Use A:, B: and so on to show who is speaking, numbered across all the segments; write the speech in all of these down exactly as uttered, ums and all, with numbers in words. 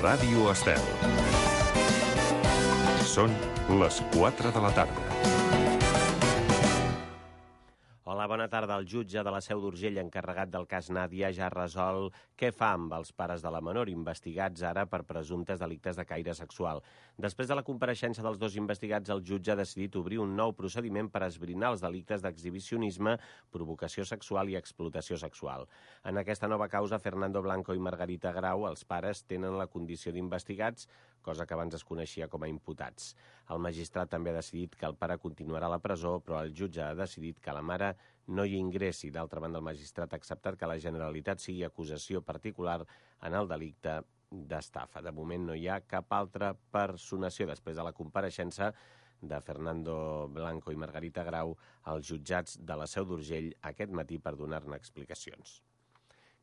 A: Ràdio Estel. Són les quatre de la tarda.
B: Hola, bona tarda. El jutge de la Seu d'Urgell, encarregat del cas Nàdia, ja ha resolt què fa amb els pares de la menor, investigats ara per presumptes delictes de caire sexual. Després de la compareixença dels dos investigats, el jutge ha decidit obrir un nou procediment per esbrinar els delictes d'exhibicionisme, provocació sexual i explotació sexual. En aquesta nova causa, Fernando Blanco i Margarita Grau, els pares, tenen la condició d'investigats, cosa que abans es coneixia com a imputats. El magistrat també ha decidit que el pare continuarà a la presó, però el jutge ha decidit que la mare no hi ingressi. D'altra banda, el magistrat ha acceptat que la Generalitat sigui acusació particular en el delicte d'estafa. De moment no hi ha cap altra personació després de la compareixença de Fernando Blanco i Margarita Grau als jutjats de la Seu d'Urgell aquest matí per donar-ne explicacions.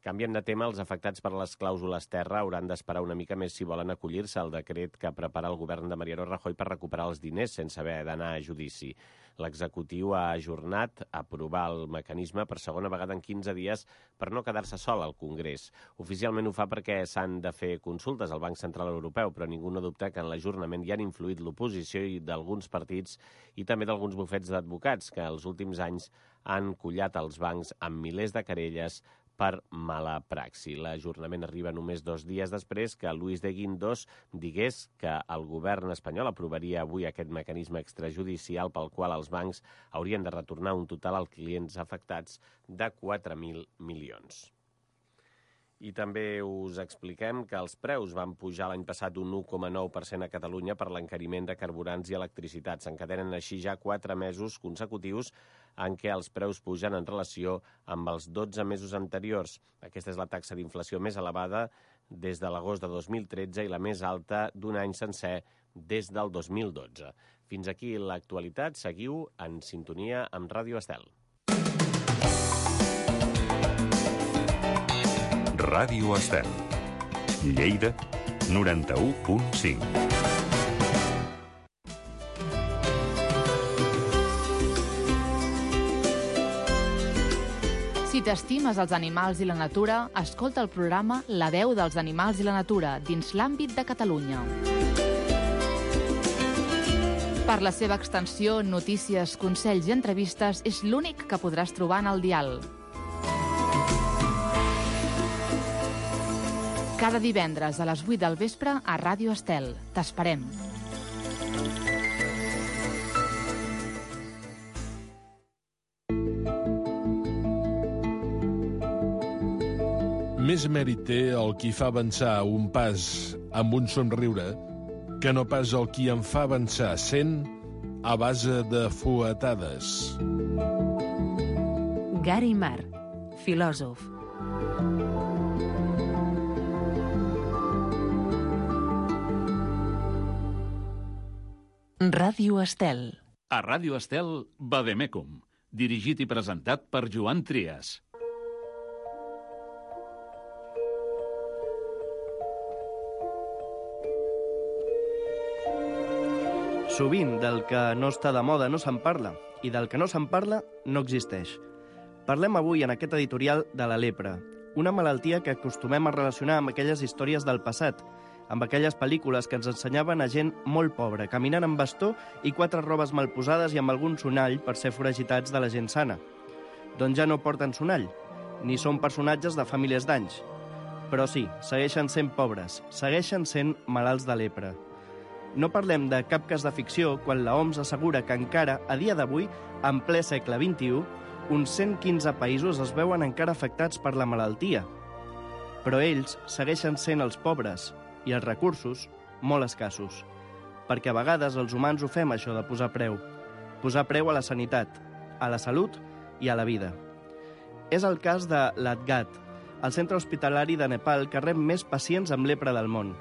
B: Canviem de tema. Els afectats per les clàusules terra hauran d'esperar una mica més si volen acollir-se al decret que prepara el govern de Mariano Rajoy per recuperar els diners sense haver d'anar a judici. L'executiu ha ajornat a aprovar el mecanisme per segona vegada en quinze dies per no quedar-se sol al Congrés. Oficialment ho fa perquè s'han de fer consultes al Banc Central Europeu, però ningú no dubta que en l'ajornament hi han influït l'oposició i d'alguns partits i també d'alguns bufets d'advocats que els últims anys han collat els bancs amb milers de querelles per mala praxi. L'ajornament arriba només dos dies després que Luis de Guindos digués que el govern espanyol aprovaria avui aquest mecanisme extrajudicial pel qual els bancs haurien de retornar un total als clients afectats de quatre mil milions. I també us expliquem que els preus van pujar l'any passat un u coma nou per cent a Catalunya per l'encariment de carburants i electricitat. S'encadenen així ja quatre mesos consecutius en què els preus pugen en relació amb els dotze mesos anteriors. Aquesta és la taxa d'inflació més elevada des de l'agost de dos mil tretze i la més alta d'un any sencer des del dos mil dotze. Fins aquí l'actualitat. Seguiu en sintonia amb Ràdio Estel.
A: Ràdio Estel. Lleida, noranta-u punt cinc.
C: Si t'estimes els animals i la natura, escolta el programa La veu dels animals i la natura dins l'àmbit de Catalunya. Per la seva extensió, notícies, consells i entrevistes, és l'únic que podràs trobar en el dial. Cada divendres a les vuit del vespre a Ràdio Estel. T'esperem.
D: Més mèrit té el qui fa avançar un pas amb un somriure que no pas el qui en fa avançar cent a base de fuetades.
E: Gary Mar, filòsof. Ràdio Estel.
F: A Ràdio Estel, Vademecum, dirigit i presentat per Joan Trias.
G: Sovint del que no està de moda no se'n parla, i del que no se'n parla no existeix. Parlem avui en aquest editorial de la lepra, una malaltia que acostumem a relacionar amb aquelles històries del passat, amb aquelles pel·lícules que ens ensenyaven a gent molt pobra, caminant amb bastó i quatre robes mal posades i amb algun sonall per ser foragitats de la gent sana. Doncs ja no porten sonall, ni són personatges de famílies d'anys. Però sí, segueixen sent pobres, segueixen sent malalts de lepra. No parlem de cap cas de ficció quan la O M S assegura que encara, a dia d'avui, en ple segle vint-i-u, uns cent quinze països es veuen encara afectats per la malaltia. Però ells segueixen sent els pobres, i els recursos molt escassos, perquè a vegades els humans ho fem això de posar preu, posar preu a la sanitat, a la salut i a la vida. És el cas de l'Adgat, el centre hospitalari de Nepal que rep més pacients amb lepra del món,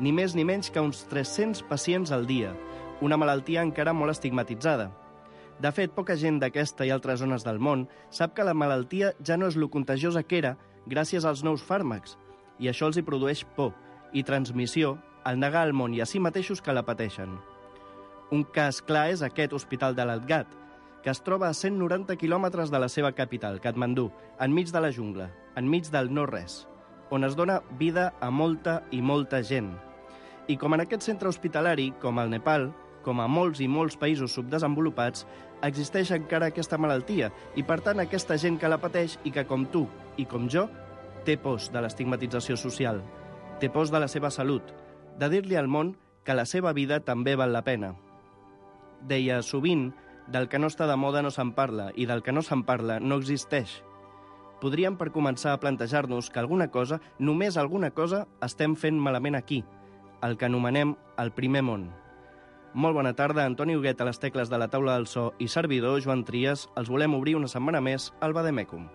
G: ni més ni menys que uns tres-cents pacients al dia, una malaltia encara molt estigmatitzada. De fet, poca gent d'aquesta i altres zones del món sap que la malaltia ja no és lo contagiosa que era gràcies als nous fàrmacs, i això els hi produeix por i transmissió al negar al món i a si mateixos que la pateixen. Un cas clar és aquest hospital de l'Adgat, que es troba a cent noranta quilòmetres de la seva capital, Katmandú, enmig de la jungla, enmig del no-res. on es dona vida a molta i molta gent. I com en aquest centre hospitalari, com al Nepal, com a molts i molts països subdesenvolupats, existeix encara aquesta malaltia i, per tant, aquesta gent que la pateix i que, com tu i com jo, té pors de l'estigmatització social, té pors de la seva salut, de dir-li al món que la seva vida també val la pena. Deia, sovint, del que no està de moda no se'n parla i del que no se'n parla no existeix. Podríem, per començar, a plantejar-nos que alguna cosa, només alguna cosa, estem fent malament aquí, el que anomenem el primer món. Molt bona tarda, Antoni Huguet a les tecles de la taula del so i servidor, Joan Trias, els volem obrir una setmana més al Vademecum.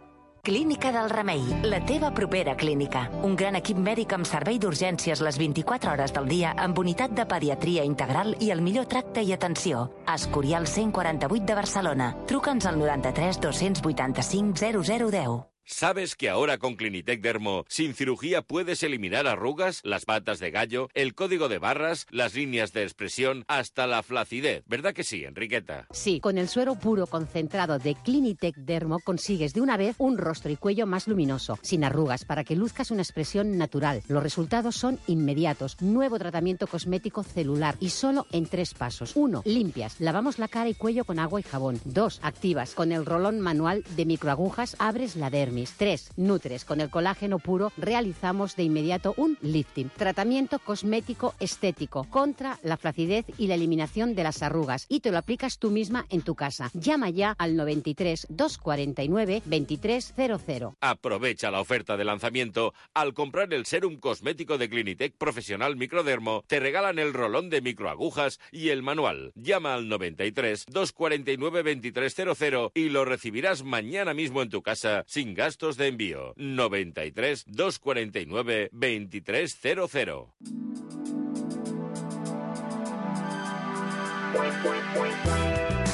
E: Clínica del Remei, la teva propera clínica. Un gran equip mèdic amb servei d'urgències les vint-i-quatre hores del dia amb unitat de pediatria integral i el millor tracte i atenció. Escorial cent quaranta-vuit de Barcelona. Truca'ns al noranta-tres dos vuitanta-cinc zero zero deu.
H: ¿Sabes que ahora con Clinitec Dermo, sin cirugía puedes eliminar arrugas, las patas de gallo, el código de barras, las líneas de expresión, hasta la flacidez? ¿Verdad que sí, Enriqueta?
I: Sí, con el suero puro concentrado de Clinitec Dermo consigues de una vez un rostro y cuello más luminoso, sin arrugas, para que luzcas una expresión natural. Los resultados son inmediatos. Nuevo tratamiento cosmético celular y solo en tres pasos. Uno, limpias. Lavamos la cara y cuello con agua y jabón. Dos, activas. Con el rolón manual de microagujas abres la dermis. tres. Nutres. Con el colágeno puro realizamos de inmediato un lifting. Tratamiento cosmético estético contra la flacidez y la eliminación de las arrugas. Y te lo aplicas tú misma en tu casa. Llama ya al noventa y tres, doscientos cuarenta y nueve, veintitrés cero cero.
H: Aprovecha la oferta de lanzamiento. Al comprar el serum cosmético de Clinitec Profesional Microdermo, te regalan el rolón de microagujas y el manual. Llama al noventa y tres, doscientos cuarenta y nueve, veintitrés cero cero y lo recibirás mañana mismo en tu casa sin gastos de envío. noventa y tres, doscientos cuarenta y nueve, veintitrés cero cero.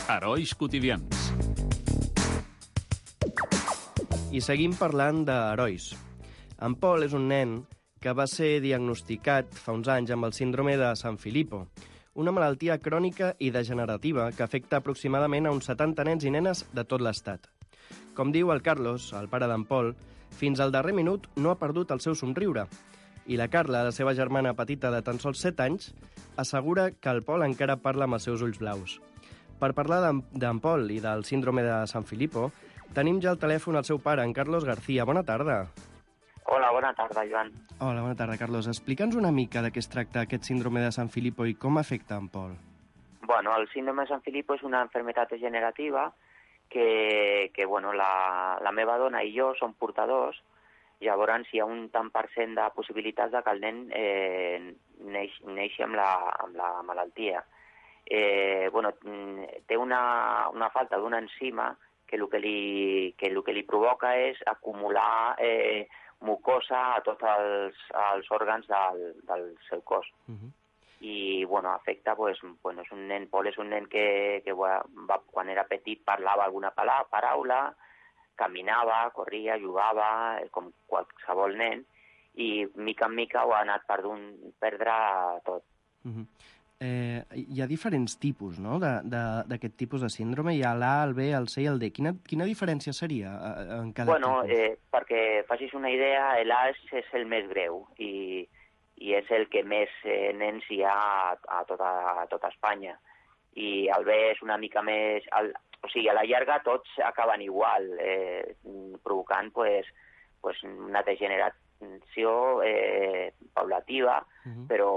F: Herois quotidians.
G: I seguim parlant d'herois. En Pol és un nen que va ser diagnosticat fa uns anys amb el síndrome de San Filippo, una malaltia crònica i degenerativa que afecta aproximadament a uns setanta nens i nenes de tot l'estat. Com diu el Carlos, el pare d'en Pol, fins al darrer minut no ha perdut el seu somriure. I la Carla, la seva germana petita de tan sols set anys, assegura que el Pol encara parla amb els seus ulls blaus. Per parlar d'en Pol i del síndrome de San Filippo, tenim ja al telèfon el seu pare, en Carlos García. Bona tarda.
J: Hola, bona tarda, Joan.
G: Hola, bona tarda, Carlos. Explica'ns una mica de què es tracta aquest síndrome de San Filippo i com afecta en Pol.
J: Bueno, el síndrome de San Filippo és una enfermedad degenerativa que, que bueno, la, la meva dona i jo som portadors. Llavors hi ha un tant per cent de possibilitats de que el nen eh, neix, neixi amb la, amb la malaltia. Eh, bueno, té una, una falta d'una enzima que el que, li, que el que li provoca és acumular eh, mucosa a tots els, els òrgans del, del seu cos. Uh-huh. I, bueno, afecta, pues, bueno, és un nen, Pol és un nen que, que va, quan era petit parlava alguna paraula, caminava, corria, jugava, com qualsevol nen, i mica en mica ho ha anat perdent, perdre tot.
G: Uh-huh. Eh, hi ha diferents tipus, no?, d'aquest tipus de síndrome. Hi ha l'A, el B, el C i el D. Quina, quina diferència seria en cada
J: bueno,
G: tipus?
J: Eh, perquè facis una idea, l'A és, és el més greu i, i és el que més eh, nens hi ha a, a, tota, a tota Espanya. I el B és una mica més... El, o sigui, a la llarga tots acaben igual, eh, provocant pues, pues una degeneració eh, paulativa, uh-huh. però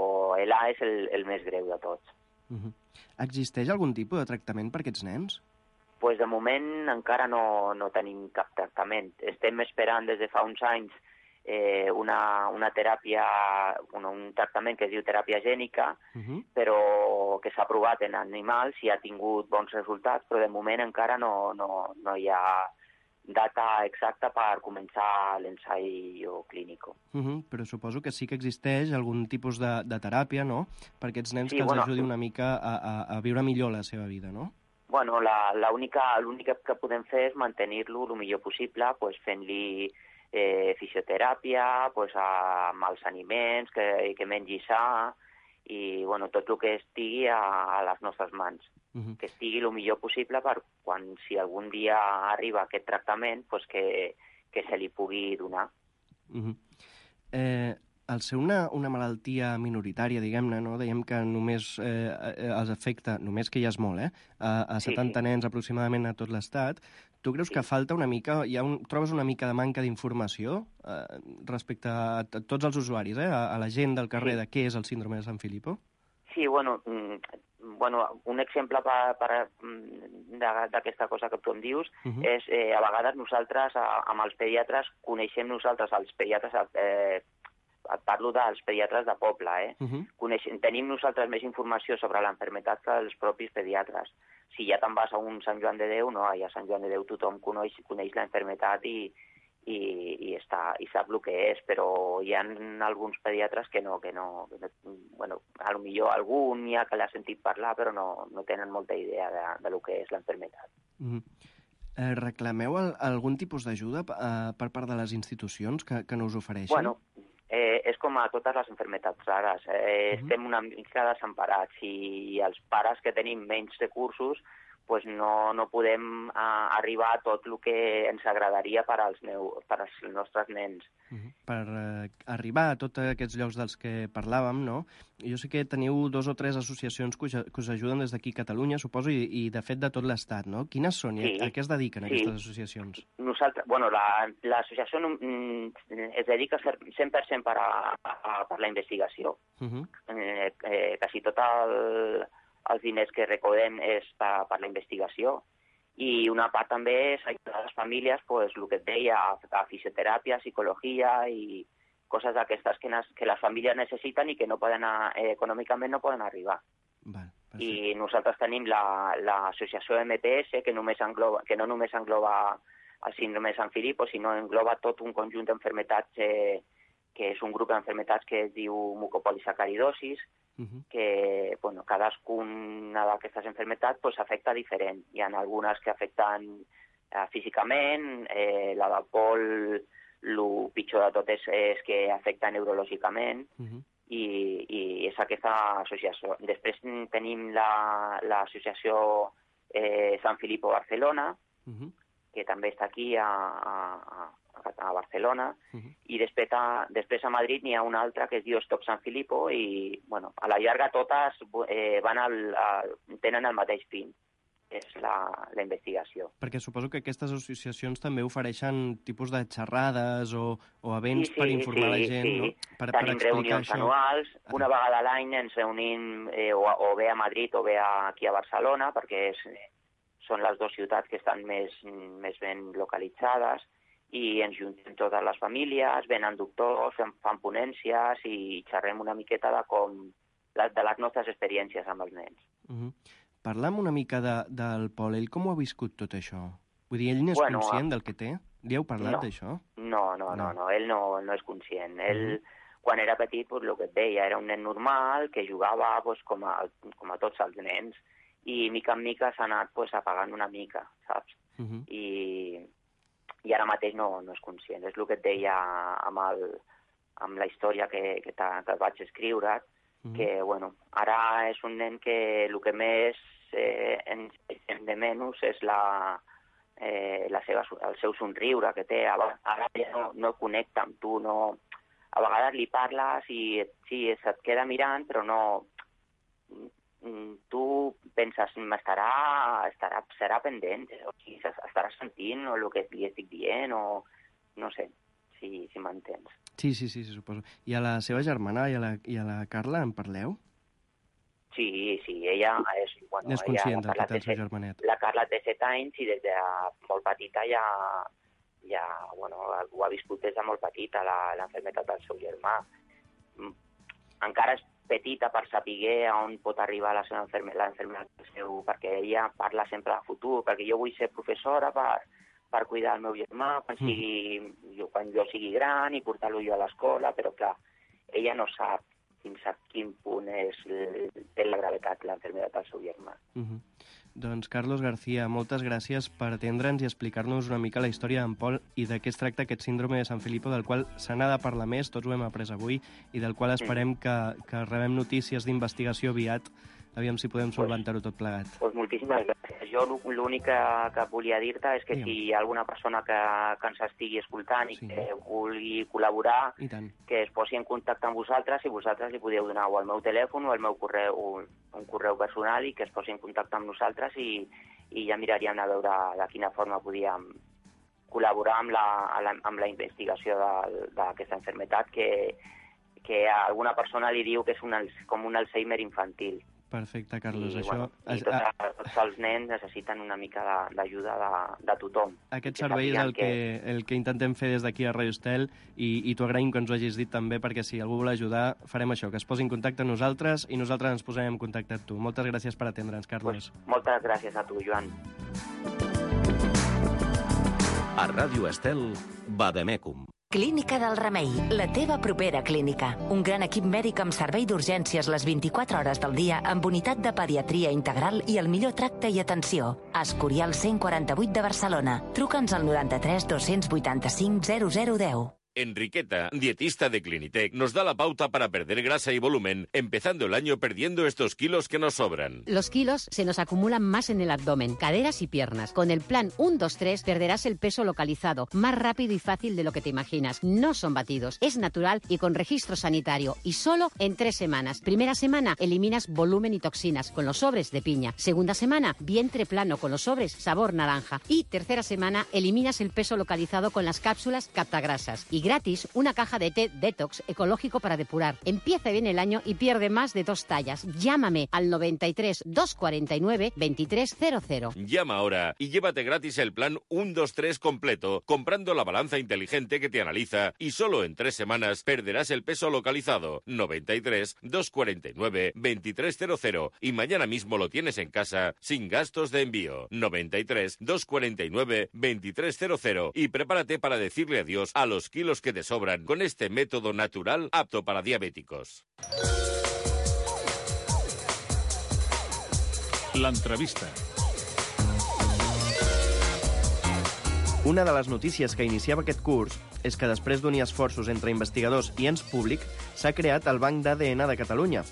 J: l'A és el, el més greu de tots.
G: Uh-huh. Existeix algun tipus de tractament per aquests nens?
J: Pues de moment encara no, no tenim cap tractament. Estem esperant des de fa uns anys eh, una, una teràpia, un, un tractament que es diu teràpia gènica, uh-huh. però que s'ha provat en animals i ha tingut bons resultats, però de moment encara no, no, no hi ha data exacta per començar l'ensaio clínic.
G: Uh-huh, però suposo que sí que existeix algun tipus de, de teràpia, no?, per aquests nens sí, que els
J: bueno,
G: ajudi una mica a, a, a viure millor la seva vida, no?
J: Bueno, l'únic que podem fer és mantenir-lo el millor possible, pues, fent-li eh, fisioteràpia, pues, amb els aliments, que, que mengi sa, i bueno, tot el que estigui a, a les nostres mans. Uh-huh. Que estigui el millor possible per quan, si algun dia arriba aquest tractament, pues que, que se li pugui donar.
G: Uh-huh. Eh, al ser una, una malaltia minoritària, diguem-ne, no? Dèiem que només eh, els afecta, només que ja és molt, eh? A, a setanta sí, sí. nens aproximadament a tot l'Estat. Tu creus sí. que falta una mica, hi ha un, trobes una mica de manca d'informació eh, respecte a, a tots els usuaris, eh? A, a la gent del carrer sí. de què és el síndrome de San Filippo?
J: Sí, bueno, bueno un exemple per, per, d'aquesta cosa que tu em dius uh -huh. és, eh, a vegades nosaltres, a, amb els pediatres, coneixem nosaltres els pediatres, eh, et parlo dels pediatres de poble, eh? Uh -huh. Coneixem, tenim nosaltres més informació sobre l'enfermetat que els propis pediatres. Si ja te'n vas a un Sant Joan de Déu, no, i a Sant Joan de Déu tothom coneix, coneix l'enfermetat i, i, i, està, i sap el que és, però hi ha alguns pediatres que no, que no, que no bueno, a lo millor algun hi ha que l'ha sentit parlar, però no, no tenen molta idea de, de lo que és l'enfermetat.
G: Mm. Eh, reclameu el, algun tipus d'ajuda eh, per part de les institucions que, que no us ofereixen?
J: Bueno, eh, és com a totes les enfermetats rares. Eh, uh-huh. Estem una mica desemparats i els pares que tenim menys recursos pues no, no podem uh, arribar a tot el que ens agradaria per als, meu, per als nostres nens.
G: Uh-huh. Per uh, arribar a tots aquests llocs dels que parlàvem, no? Jo sé que teniu dos o tres associacions que us, que us ajuden des d'aquí a Catalunya, suposo, i, i de fet de tot l'Estat, no? Quines són i sí. a, a què es dediquen sí. aquestes associacions?
J: Nosaltres, bueno, l'associació la, mm, es dedica cent per cent per a, a, per la investigació. Uh-huh. eh, eh, quasi tot el... els diners que recordem és per, per la investigació i una part també és ajudar a les famílies, pues, el que et deia, a, a fisioteràpia, psicologia i coses d'aquestes que, que les famílies necessiten i que no poden, eh, econòmicament no poden arribar.
G: Val,
J: I nosaltres tenim l'associació la, M P S, que, només engloba, que no només engloba el síndrome de San Filippo, sinó engloba tot un conjunt d'enfermetats, eh, que és un grup d'enfermetats que es diu mucopolisacaridosis, Uh-huh. que bueno, cadascuna d'aquestes enfermetats pues, afecta diferent. Hi ha algunes que afecten eh, físicament, eh, la del Pol, el pitjor de tot és, és que afecta neurològicament, uh-huh. i, i és aquesta associació. Després tenim l'associació la, eh, San Filippo Barcelona, uh-huh. que també està aquí a, a, a Barcelona, uh-huh. i després a, després a Madrid n'hi ha una altra que es diu Stop San Filippo i, bueno, a la llarga totes eh, van al, al, tenen el mateix fin, és la, la investigació.
G: Perquè suposo que aquestes associacions també ofereixen tipus de xerrades o, o events sí, sí, per informar sí, la gent,
J: sí.
G: no? Per,
J: Tenim
G: per
J: reunions
G: això.
J: anuals, una vegada a l'any ens reunim eh, o, o bé a Madrid o bé aquí a Barcelona, perquè és, són les dues ciutats que estan més, més ben localitzades, i ens juntem totes les famílies, venen doctors, fan, fan ponències i xerrem una miqueta de com de les nostres experiències amb els nens.
G: Uh-huh. Parlam una mica de, del Pol. Ell com ho ha viscut tot això? Vull dir, ell n'és bueno, conscient del que té? Li heu parlat
J: no,
G: d'això?
J: No, no, no, no, ell no, no és conscient. Ell, uh-huh. quan era petit, pues, el que et deia, era un nen normal que jugava pues, com, a, com a tots els nens i mica en mica s'ha anat pues, apagant una mica, saps? Uh-huh. I... i ara mateix no, no és conscient. És el que et deia amb, el, amb la història que, que, que vaig escriure, mm. que bueno, ara és un nen que el que més eh, ens hem de menys és la, eh, la seva, el seu somriure que té. Ara ja no, no connecta amb tu, no... a vegades li parles i sí, se't queda mirant, però no... tu penses, estarà, estarà, serà pendent, o sigui, estarà sentint el que li estic dient, o no sé, si, si m'entens.
G: Sí, sí, sí, suposo. I a la seva germana i a la, i a la Carla en parleu?
J: Sí, sí, ella és... Bueno,
G: és conscient
J: ella,
G: del que té el seu germanet.
J: La Carla té set anys i des de molt petita ja, ja bueno, ho ha viscut des de molt petita, l'enfermetat del seu germà. Encara és petita per saber on pot arribar la seva enfermedad del seu, perquè ella parla sempre de futur, perquè jo vull ser professora per, per cuidar el meu germà quan, sigui, jo, quan jo sigui gran i portar-lo jo a l'escola, però clar, ella no sap fins a quin punt és té la gravetat l'enfermedad del seu germà.
G: Uh-huh. Doncs, Carlos García, moltes gràcies per atendre'ns i explicar-nos una mica la història d'en Pol i de què es tracta aquest síndrome de San Filippo, del qual se n'ha de parlar més, tots ho hem après avui, i del qual esperem que, que rebem notícies d'investigació aviat Aviam si podem solventar-ho tot plegat.
J: Pues moltíssimes gràcies. Jo l'únic que, que volia dir-te és que si hi ha alguna persona que, que ens estigui escoltant i sí. que vulgui col·laborar, que es posi en contacte amb vosaltres i vosaltres li podeu donar o el meu telèfon o el meu correu, un correu personal i que es posi en contacte amb nosaltres i, i ja miraríem a veure de quina forma podíem col·laborar amb la, amb la investigació d'aquesta malaltia que, que a alguna persona li diu que és un, com un Alzheimer infantil.
G: Perfecte, Carlos.
J: I,
G: això...
J: bueno, i tots, a... tots els nens necessiten una mica d'ajuda de, de, de tothom.
G: Aquest servei és el que, que, el que intentem fer des d'aquí a Radio Estel i, i t'ho agraïm que ens ho hagis dit també, perquè si algú vol ajudar farem això, que es posi en contacte amb nosaltres i nosaltres ens posarem en contacte amb tu. Moltes gràcies per atendre'ns, Carlos.
J: Pues, moltes gràcies a tu, Joan.
A: A Ràdio Estel, Vademecum.
E: Clínica del Remei, la teva propera clínica. Un gran equip mèdic amb servei d'urgències les vint-i-quatre hores del dia amb unitat de pediatria integral i el millor tracte i atenció. Escorial cent quaranta-vuit de Barcelona. Truca'ns al noranta-tres dos-cents vuitanta-cinc zero zero deu.
H: Enriqueta, dietista de Clinitec, nos da la pauta para perder grasa y volumen, empezando el año perdiendo estos kilos que nos sobran.
I: Los kilos se nos acumulan más en el abdomen, caderas y piernas. Con el plan uno dos tres perderás el peso localizado, más rápido y fácil de lo que te imaginas. No son batidos, es natural y con registro sanitario. Y solo en tres semanas. Primera semana, eliminas volumen y toxinas con los sobres de piña. Segunda semana, vientre plano con los sobres sabor naranja. Y tercera semana, eliminas el peso localizado con las cápsulas captagrasas. Y gratis, una caja de té detox ecológico para depurar. Empieza bien el año y pierde más de dos tallas. Llámame al noventa y tres, doscientos cuarenta y nueve, veintitrés cero cero.
H: Llama ahora y llévate gratis el plan uno dos tres completo, comprando la balanza inteligente que te analiza y solo en tres semanas perderás el peso localizado. noventa y tres, doscientos cuarenta y nueve, veintitrés cero cero. Y mañana mismo lo tienes en casa sin gastos de envío. noventa y tres, doscientos cuarenta y nueve, veintitrés cero cero. Y prepárate para decirle adiós a los kilos que te sobran con este método natural apto para diabéticos.
F: L'entrevista.
G: Una de les notícies que iniciava aquest curs és que després d'unir esforços entre investigadors i ens públic s'ha creat el Banc d'A D N de Catalunya.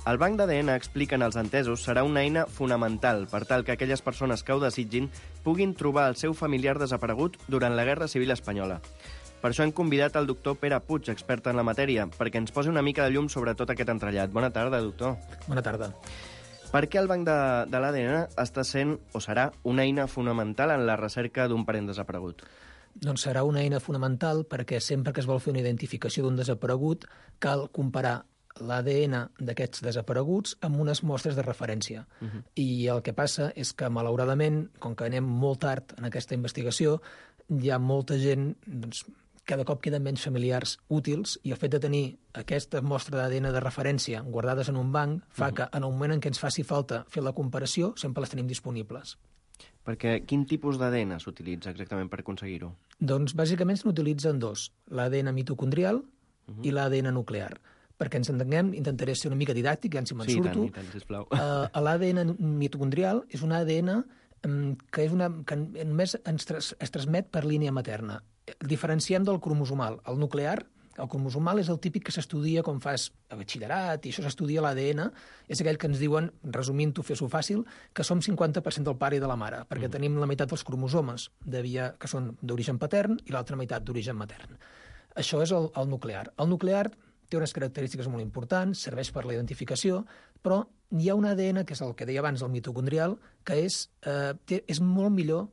G: El Banc d'A D N, expliquen els entesos, serà una eina fonamental per tal que aquelles persones que ho desitgin puguin trobar el seu familiar desaparegut durant la Guerra Civil Espanyola. Per això hem convidat el doctor Pere Puig, expert en la matèria, perquè ens posi una mica de llum sobre tot aquest entrellat. Bona tarda, doctor.
K: Bona tarda.
G: Per què el Banc de, de l'A D N està sent o serà una eina fonamental en la recerca d'un parent desaparegut?
K: Doncs serà una eina fonamental perquè sempre que es vol fer una identificació d'un desaparegut cal comparar l'A D N d'aquests desapareguts amb unes mostres de referència. Uh-huh. I el que passa és que, malauradament, com que anem molt tard en aquesta investigació, hi ha molta gent doncs, cada cop queden menys familiars útils i el fet de tenir aquesta mostra d'A D N de referència guardades en un banc fa uh-huh. que en el moment en què ens faci falta fer la comparació sempre les tenim disponibles.
G: Perquè quin tipus d'A D N s'utilitza exactament per aconseguir-ho?
K: Doncs bàsicament se n'utilitzen dos, l'A D N mitocondrial uh-huh. i l'A D N nuclear. Perquè ens entenguem, intentaré ser una mica didàctic, ja si me'n
G: sí,
K: surto.
G: Sí, tant, sisplau.
K: Uh, L'A D N mitocondrial és un A D N um, que, és una, que només ens tras, es transmet per línia materna. El diferenciem del cromosomal. El nuclear, el cromosomal és el típic que s'estudia quan fas a batxillerat i això s'estudia l'A D N. És aquell que ens diuen, resumint-ho, fes-ho fàcil, que som cinquanta per cent del pare i de la mare, perquè mm. tenim la meitat dels cromosomes de via, que són d'origen patern i l'altra meitat d'origen matern. Això és el, el nuclear. El nuclear té unes característiques molt importants, serveix per la identificació, però hi ha un A D N, que és el que deia abans, el mitocondrial, que és, eh, té, és molt millor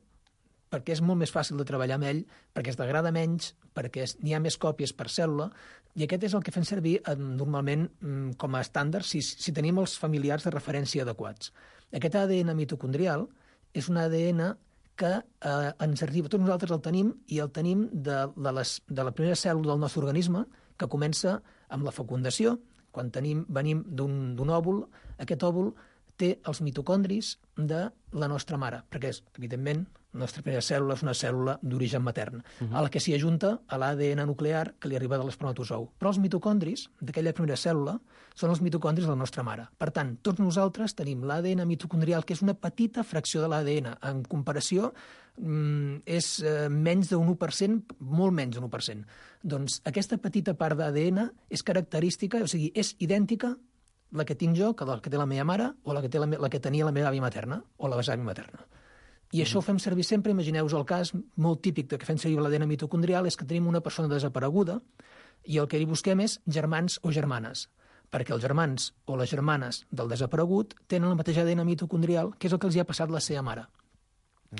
K: perquè és molt més fàcil de treballar amb ell, perquè es degrada menys, perquè n'hi ha més còpies per cèl·lula, i aquest és el que fem servir eh, normalment mm, com a estàndard si, si tenim els familiars de referència adequats. Aquest A D N mitocondrial és un A D N que eh, ens arriba, tots nosaltres el tenim, i el tenim de, de, les, de la primera cèl·lula del nostre organisme, que comença amb la fecundació. Quan tenim, venim d'un òvul, aquest òvul té els mitocondris de la nostra mare, perquè, és, evidentment, la nostra primera cèl·lula és una cèl·lula d'origen matern, uh-huh. a la que s'hi ajunta a l'A D N nuclear que li arriba de l'espermatozou. Però els mitocondris d'aquella primera cèl·lula són els mitocondris de la nostra mare. Per tant, tots nosaltres tenim l'A D N mitocondrial, que és una petita fracció de l'A D N. En comparació, mm, és eh, menys d'un u per cent, molt menys d'un u per cent. Doncs aquesta petita part d'A D N és característica, o sigui, és idèntica la que tinc jo que la que té la meva mare o la que, té la, la que tenia la meva àvia materna o la besàvia materna. I això ho fem servir sempre, imagineu-vos el cas molt típic de que fem servir l'A D N mitocondrial és que tenim una persona desapareguda i el que hi busquem és germans o germanes, perquè els germans o les germanes del desaparegut tenen el mateix A D N mitocondrial, que és el que els hi ha passat la seva mare.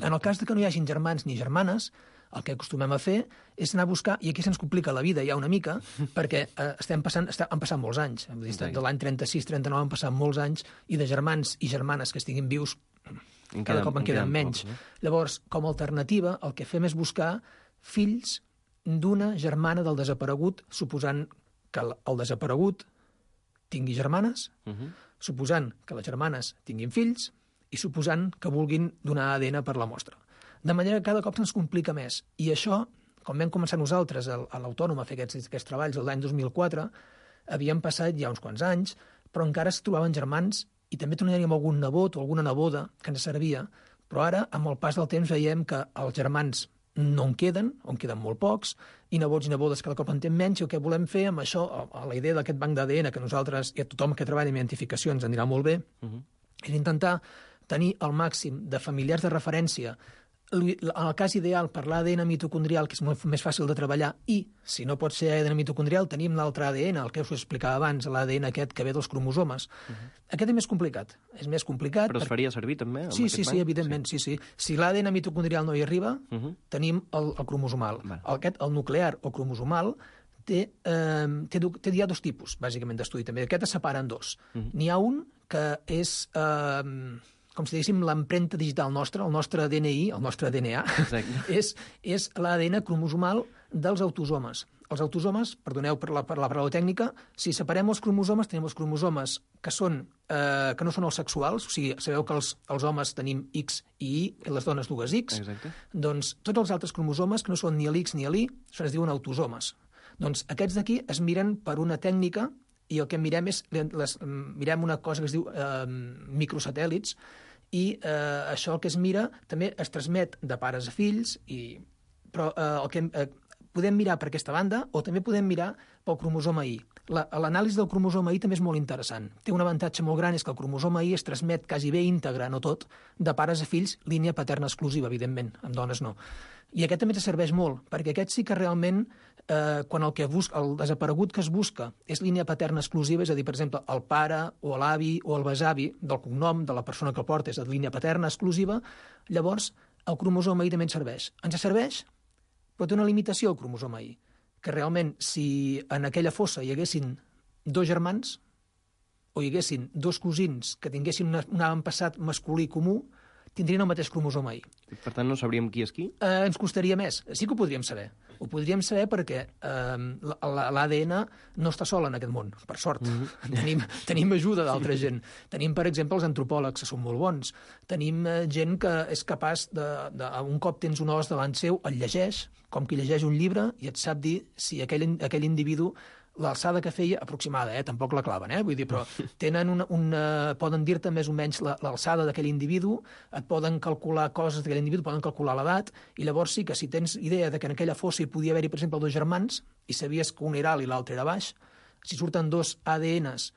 K: En el cas de que no hi hagin germans ni germanes, el que acostumem a fer és anar a buscar, i aquí se'ns complica la vida ja una mica, perquè eh, estem passant, estem, han passat molts anys, hem dit, de l'any trenta-sis trenta-nou han passat molts anys, i de germans i germanes que estiguin vius en cada cop en queden menys. Pocs, eh? Llavors, com a alternativa, el que fem és buscar fills d'una germana del desaparegut, suposant que el desaparegut tingui germanes, uh -huh. suposant que les germanes tinguin fills, i suposant que vulguin donar A D N per la mostra. De manera que cada cop se'ns complica més. I això, com vam començar nosaltres a l'Autònom a fer aquests, aquests treballs l'any dos mil quatre, havien passat ja uns quants anys, però encara es trobaven germans i també teníem algun nebot o alguna neboda que ens servia, però ara, amb el pas del temps, veiem que els germans no en queden, o en queden molt pocs, i nebots i nebodes cada cop en tenen menys, i el que volem fer amb això, a la idea d'aquest banc d'A D N, que nosaltres i a tothom que treballa en identificació ens anirà molt bé, uh-huh. és intentar tenir el màxim de familiars de referència. En el cas ideal per l'A D N mitocondrial, que és molt més fàcil de treballar, i, si no pot ser A D N mitocondrial, tenim l'altre A D N, el que us explicava abans, l'A D N aquest que ve dels cromosomes. Uh-huh. Aquest és més complicat. És més complicat.
G: Però es faria servir també?
K: Sí, sí, sí, evidentment, sí, sí. Si l'A D N mitocondrial no hi arriba, uh-huh. tenim el, el cromosomal. Vale. Aquest, el nuclear o cromosomal, té, eh, té, té ja dos tipus, bàsicament, d'estudi també. Aquest es separa en dos. Uh-huh. N'hi ha un que és... Eh, com si diguéssim, l'empremta digital nostra, el nostre D N I, el nostre D N A, és, és l'A D N cromosomal dels autosomes. Els autosomes, perdoneu per la, per la paraula tècnica, si separem els cromosomes, tenim els cromosomes que, són, eh, que no són els sexuals, o sigui, sabeu que els, els homes tenim X i Y, i les dones dues X, exacte. Doncs tots els altres cromosomes, que no són ni l'X ni l'Y, això es diuen autosomes. Doncs aquests d'aquí es miren per una tècnica i el que mirem és, les, mirem una cosa que es diu eh, microsatèl·lits, i eh, això el que es mira també es transmet de pares a fills, i, però eh, el que eh, podem mirar per aquesta banda o també podem mirar pel cromosoma Y. L'anàlisi del cromosoma Y també és molt interessant. Té un avantatge molt gran, és que el cromosoma Y es transmet quasi bé íntegre, no tot, de pares a fills, línia paterna exclusiva, evidentment, amb dones no. I aquest també ens serveix molt, perquè aquest sí que realment, eh, quan el, que busca, el desaparegut que es busca és línia paterna exclusiva, és a dir, per exemple, el pare o l'avi o el besavi del cognom de la persona que el porta és de línia paterna exclusiva, llavors el cromosoma Y també ens serveix. Ens serveix, però té una limitació el cromosoma Y, que realment si en aquella fossa hi haguessin dos germans o hi haguessin dos cosins que tinguessin una, un avantpassat masculí comú, tindrien el mateix cromosoma Y.
G: Per tant, no sabríem qui és qui?
K: Eh, ens costaria més. Sí que ho podríem saber. Ho podríem saber perquè eh, l'A D N no està sol en aquest món, per sort. Mm-hmm. Tenim, tenim ajuda d'altra gent. Tenim, per exemple, els antropòlegs, que són molt bons. Tenim eh, gent que és capaç de, de... Un cop tens un os davant seu, el llegeix, com qui llegeix un llibre, i et sap dir si aquell, aquell individu l'alçada que feia, aproximada, eh? Tampoc la claven, eh? Vull dir, però tenen una, una, poden dir-te més o menys l'alçada d'aquell individu, et poden calcular coses d'aquell individu, poden calcular l'edat, i llavors sí que si tens idea de que en aquella fossa hi podia haver-hi, per exemple, dos germans, i sabies que un era alt i l'altre era baix, si surten dos A D Ns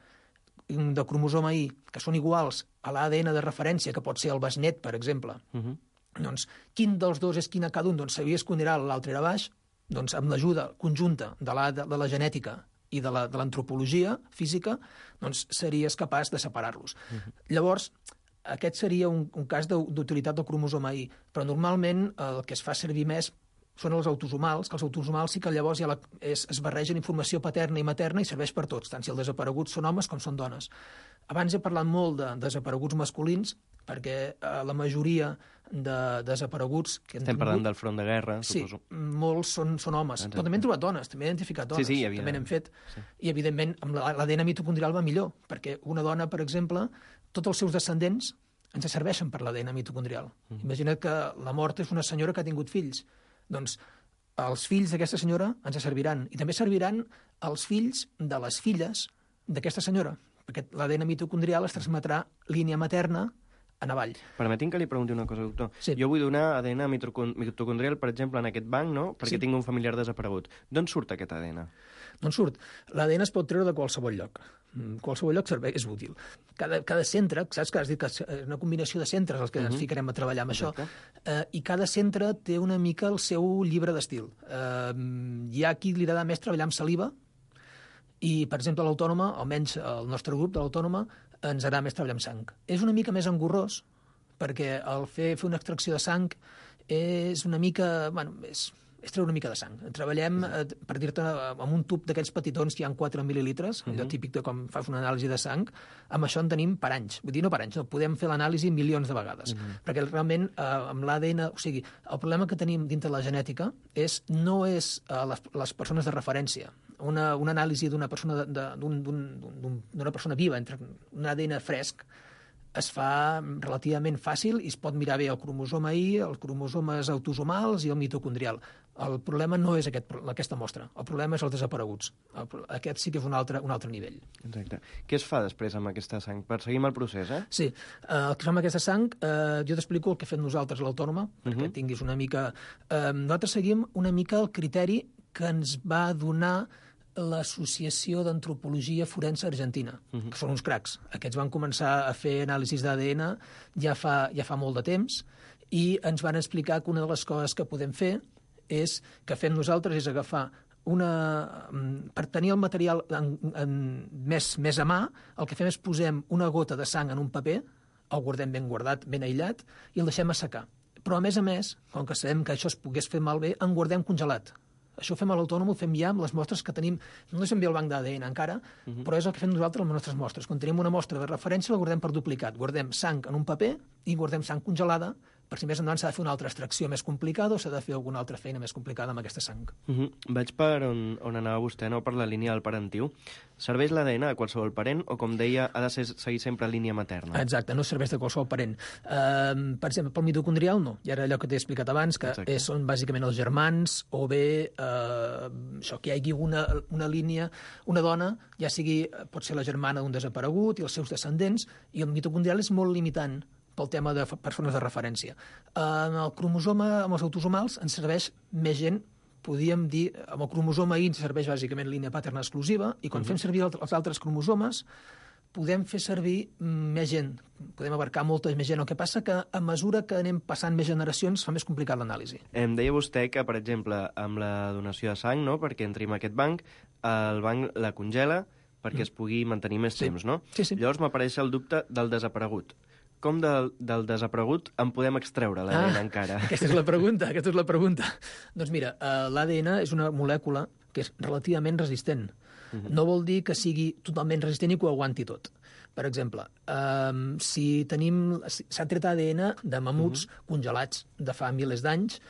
K: de cromosoma Y que són iguals a l'A D N de referència, que pot ser el besnet, per exemple, uh-huh. doncs quin dels dos és quin a cada un? Doncs sabies que un era alt i l'altre era baix, doncs amb l'ajuda conjunta de la, de, de la genètica i de l'antropologia física, doncs series capaç de separar-los. Uh-huh. Llavors, aquest seria un, un cas d'utilitat del cromosoma Y, però normalment el que es fa servir més són els autosomals, que els autosomals sí que llavors ja la, es, es barregen informació paterna i materna i serveix per tots, tant si els desapareguts són homes com són dones. Abans he parlat molt de desapareguts masculins, perquè eh, la majoria de desapareguts... Que
G: Estem tingut, parlant del front de guerra,
K: sí,
G: suposo.
K: Sí, molts són, són homes. Exacte. Però també hem trobat dones, també he identificat dones.
G: Sí, sí, havia...
K: També n'hem fet.
G: Sí.
K: I, evidentment, amb l'A D N mitocondrial va millor, perquè una dona, per exemple, tots els seus descendents ens serveixen per l'A D N mitocondrial. Mm. Imagina't que la mort és una senyora que ha tingut fills. Doncs els fills d'aquesta senyora ens serviran. I també serviran els fills de les filles d'aquesta senyora, perquè l'A D N mitocondrial es transmetrà línia materna en avall.
G: Permetin que li pregunti una cosa, doctor.
K: Sí.
G: Jo vull donar A D N mitocondrial, per exemple, en aquest banc, no? Perquè
K: Sí.
G: tinc un familiar desaparegut. D'on surt aquest A D N?
K: D'on surt? L'A D N es pot treure de qualsevol lloc. Qualsevol lloc serveix, és útil. Cada, cada centre, saps que has dit que és una combinació de centres els que uh-huh. ens ficarem a treballar amb Exacte. Això, eh, i cada centre té una mica el seu llibre d'estil. Eh, hi ha qui li agrada més treballar amb saliva, i, per exemple, l'Autònoma, almenys el nostre grup de l'Autònoma, ens agrada més treballar amb sang. És una mica més engorrós, perquè el fer, fer una extracció de sang és una mica... Bueno, és, és treure una mica de sang. Treballem, eh, per dir-te, amb un tub d'aquells petitons que hi ha quatre mil·lilitres, uh-huh. allò típic de com fas una anàlisi de sang, amb això en tenim per anys. Vull dir, no per anys, no, podem fer l'anàlisi milions de vegades. Uh-huh. Perquè realment, eh, amb l'A D N... O sigui, el problema que tenim dintre la genètica és, no és eh, les, les persones de referència. Una, una anàlisi d'una persona, de, d'un, d'un, d'un, d'una persona viva, entre un A D N fresc, es fa relativament fàcil i es pot mirar bé el cromosoma I, els cromosomes autosomals i el mitocondrial. El problema no és aquest, aquesta mostra, el problema és els desapareguts. El, aquest sí que és un altre, un altre nivell.
G: Exacte. Què es fa després amb aquesta sang? Perseguim el procés, eh?
K: Sí. Eh, el que fa amb aquesta sang, eh, jo t'explico el que fem nosaltres a l'Autònoma, uh-huh. perquè tinguis una mica... Eh, nosaltres seguim una mica el criteri que ens va donar l'Associació d'Antropologia Forense Argentina, uh-huh. que són uns cracs. Aquests van començar a fer anàlisis d'A D N ja fa, ja fa molt de temps i ens van explicar que una de les coses que podem fer és, que fem nosaltres, és agafar una... Per tenir el material en, en, més, més a mà, el que fem és posem una gota de sang en un paper, el guardem ben guardat, ben aïllat, i el deixem assecar. Però, a més a més, com que sabem que això es pogués fer malbé, en guardem congelat. Això ho fem a l'Autònom, ho fem ja amb les mostres que tenim. No deixem bé el banc d'A D N encara, uh-huh. però és el que fem nosaltres amb les nostres mostres. Quan tenim una mostra de referència, la guardem per duplicat. Guardem sang en un paper i guardem sang congelada, per si més endavant s'ha de fer una altra extracció més complicada o s'ha de fer alguna altra feina més complicada amb aquesta sang.
G: Uh-huh. Vaig per on, on anava vostè, no per la línia del parentiu. Serveix l'A D N a qualsevol parent o, com deia, ha de ser, seguir sempre línia materna?
K: Exacte, no serveix de qualsevol parent. Uh, per exemple, pel mitocondrial no. I ara allò que t'he explicat abans, que és, són bàsicament els germans o bé uh, això, que hi hagi una, una línia, una dona, ja sigui, pot ser la germana d'un desaparegut i els seus descendents, i el mitocondrial és molt limitant pel tema de persones de referència. En el cromosoma, amb els autosomals, ens serveix més gent, podríem dir, amb el cromosoma I ens serveix bàsicament línia paterna exclusiva, i quan uh-huh. fem servir els altres cromosomes, podem fer servir més gent, podem abarcar molta més gent. El que passa que a mesura que anem passant més generacions fa més complicat l'anàlisi.
G: Em deia vostè que, per exemple, amb la donació de sang, no?, perquè entri en aquest banc, el banc la congela perquè mm. es pugui mantenir més
K: sí.
G: temps, no?
K: Sí, sí.
G: Llavors m'apareix el dubte del desaparegut. Com del, del desaparegut en podem extreure l'A D N ah, encara?
K: Aquesta és la pregunta, aquesta és la pregunta. Doncs mira, uh, l'A D N és una molècula que és relativament resistent. Uh-huh. No vol dir que sigui totalment resistent i que ho aguanti tot. Per exemple, um, si tenim... s'ha tret A D N de mamuts uh-huh. congelats de fa milers d'anys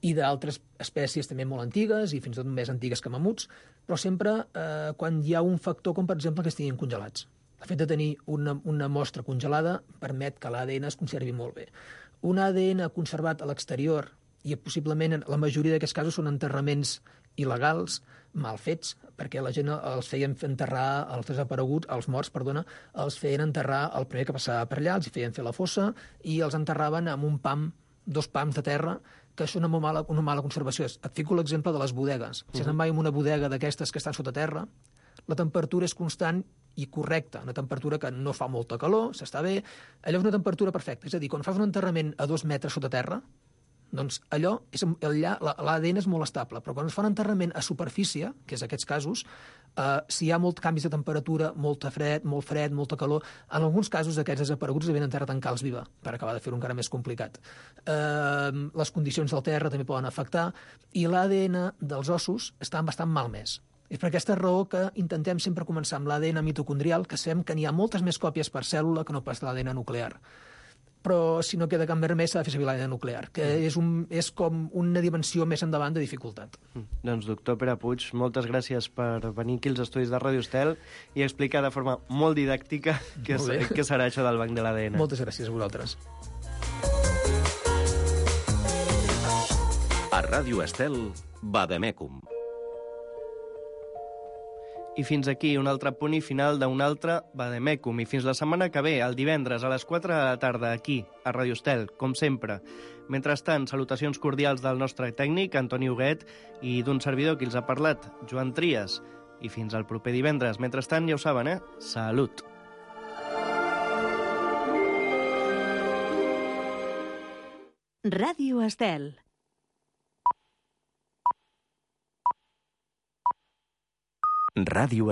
K: i d'altres espècies també molt antigues i fins i tot més antigues que mamuts, però sempre uh, quan hi ha un factor com, per exemple, que estiguin congelats. El fet de tenir una, una mostra congelada permet que l'A D N es conservi molt bé. Un A D N conservat a l'exterior, i possiblement la majoria d'aquests casos són enterraments il·legals, mal fets, perquè la gent els feien enterrar, els desapareguts, els morts, perdona, els feien enterrar el primer que passava per allà, els feien fer la fossa i els enterraven amb un pam, dos pams de terra, que això és una molt mala, una mala conservació. Et fico l'exemple de les bodegues. Si se'n va en una bodega d'aquestes que estan sota terra, la temperatura és constant i correcta, una temperatura que no fa molta calor, s'està bé, allò és una temperatura perfecta. És a dir, quan fas un enterrament a dos metres sota terra, doncs allò, és, allà l'A D N és molt estable, però quan es fa un enterrament a superfície, que és aquests casos, eh, si hi ha molts canvis de temperatura, molt fred, molt fred, molta calor, en alguns casos aquests desapareguts havien enterrat en calç viva, per acabar de fer-ho encara més complicat. Eh, les condicions del terra també poden afectar, i l'A D N dels ossos està bastant malmès. És per aquesta raó que intentem sempre començar amb l'A D N mitocondrial, que sabem que n'hi ha moltes més còpies per cèl·lula que no pas l'A D N nuclear. Però si no queda cap més remei s'ha de fer servir l'A D N nuclear, que mm. és, un, és com una dimensió més endavant de dificultat.
G: Mm. Doncs, doctor Pere Puig, moltes gràcies per venir aquí als estudis de Ràdio Estel i explicar de forma molt didàctica què, molt què serà això del banc de l'A D N.
K: Moltes gràcies a vosaltres.
A: A Ràdio Estel, Vademecum.
G: I fins aquí un altre punt i final d'un altre Vademecum. I fins la setmana que ve, el divendres a les quatre de la tarda, aquí, a Radio Estel, com sempre. Mentrestant, salutacions cordials del nostre tècnic, Antoni Huguet, i d'un servidor qui els ha parlat, Joan Trias. I fins al proper divendres. Mentrestant, ja ho saben, eh? Salut!
L: Ràdio Estel.
A: Ràdio